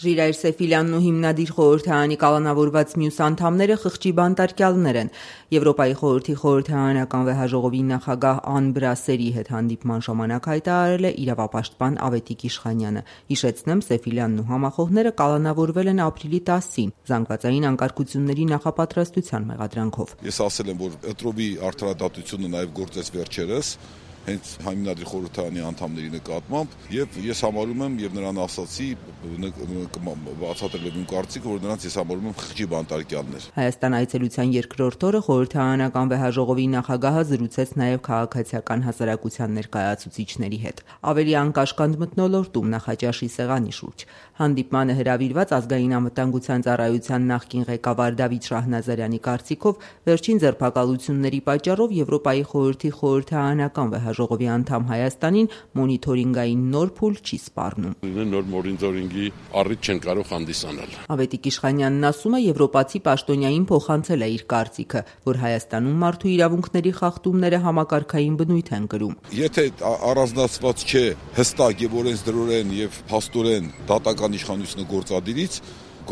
Ժիրայր Սեֆիլյանն ու հիմնադիր խորհրդարանի կալանավորված մյուս անդամները խղճի բանտարկյալներ են։ Եվրոպայի խորհրդի խորհրդարանական վեհաժողովի նախագահ Ան Բրասերի հետ հանդիպման ժամանակ հայտարարել է իրավապաշտպան Ավետիք Իշխանյանը։ Հիշեցնեմ, Սեֆիլյանն ու համախոհները կալանավորվել են ապրիլի 10-ին զանգվածային անկարգությունների նախապատրաստության մեղադրանքով։ Ես ասել եմ, որ Էտրովի արդարադատությունը նաև գործեց վերջերս հենց հիմնադիր խորհրդարանի անդամների նկատմամբ, եւ ես համարում եմ եւ նրան ասացի բացատրել եմ իմ կարծիքը, որ նրանց ես համարում եմ խղճի բանտարկյալներ։ Հայաստան այցելության երկրորդ օրը խորհրդարանական վեհաժողովի նախագահը զրուցեց նաև քաղաքացիական հասարակության ներկայացուցիչների հետ։ Ավելի անկաշկանդ մթնոլորտում Նախաճաշի սեղանի շուրջ հանդիպմանը հրավիրված ազգային անվտանգության ծառայության նախկին ղեկավար Դավիթ Շահնազարյանի կարծիքով վերջին ձերբակալությունների պատճառով Եվրոպայի խորհրդի խորհրդարանական վեհաժողովի անդամ Հայաստանին մոնիթորինգային նոր փուլ չի սպառնում։ Նոր մոնիթորինգի առիթ չեն կարող հանդիսանալ։ Ավետիք Իշխանյանն ասում է, եվրոպացի պաշտոնյային փոխանցել է իր կարծիքը, որ Հայաստանում մարդու իրավունքների խախտումները համակարգային բնույթ են կրում։ Եթե առանձնացված չէ հստակ եւ օրենսդրորեն եւ փաստորեն դատական իշխանությունը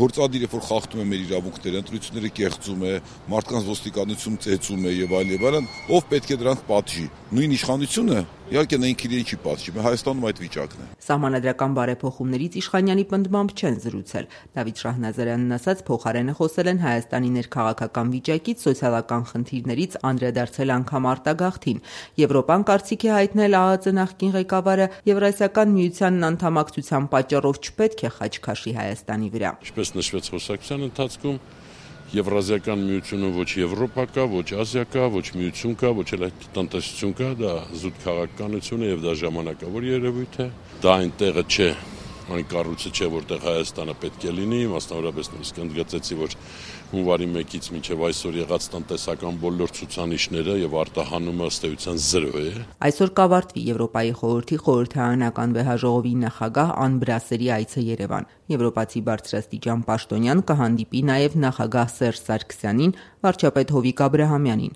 գործադիրը, որ խախտում է մեր իրավունքները, ընտրությունները կեղծում է, մարդկանց ոստիկանություն ծեծում է եւ այլն, ով պետք է դրանք պատժի։ Նույն իշխանությունը իհարկե նա ինքն իրեն չի պատժի, Հայաստանում այդ վիճակն է։ Սահմանադրական բարեփոխումներից Իշխանյանի պնդմամբ չեն զրուցել։ Դավիթ Շահնազարյանն ասաց, փոխարենը խոսել են Հայաստանի ներքաղաքական վիճակից, սոցիալական խնդիրներից, անդրադարձել անգամ արտագաղթին։ Եվրոպան կարծիք է հայտնել ԱԱԾ նախկին ղեկավարը, Եվրասիական միությանն անդամակցության պատճառով չպետք է խաչ քաշի Հայաստանի վրա։ Ինչպես նշվեց խոսակցության ընթացքում, Եվրազիական միությունը ոչ Եվրոպա կա, ոչ Ասիա կա, ոչ միություն կա, ոչ էլ այդ տնտեսություն կա, դա զուտ քաղաքականություն է եւ դա ժամանակավոր երևույթ է։ Դա այն տեղը չէ, այն կառույցը չէ, որտեղ Հայաստանը պետք է լինի, մասնավորապես նույնիսկ ընդգծեցի, որ հունվարի 1-ից մինչև այսօր եղած տնտեսական բոլոր ցուցանիշները եւ արտահանումը ըստ էության 0 է։ Այսօր կավարտվի Եվրոպայի խորհրդի խորհրդարանական վեհաժողովի նախագահ Ան Բրասերի այցը Երևան։ Եվրոպացի բարձրաստիճան պաշտոնյան կհանդիպի նաև նախագահ Սերժ Սարգսյանին, վարչապետ Հովիկ Աբրահամյանին։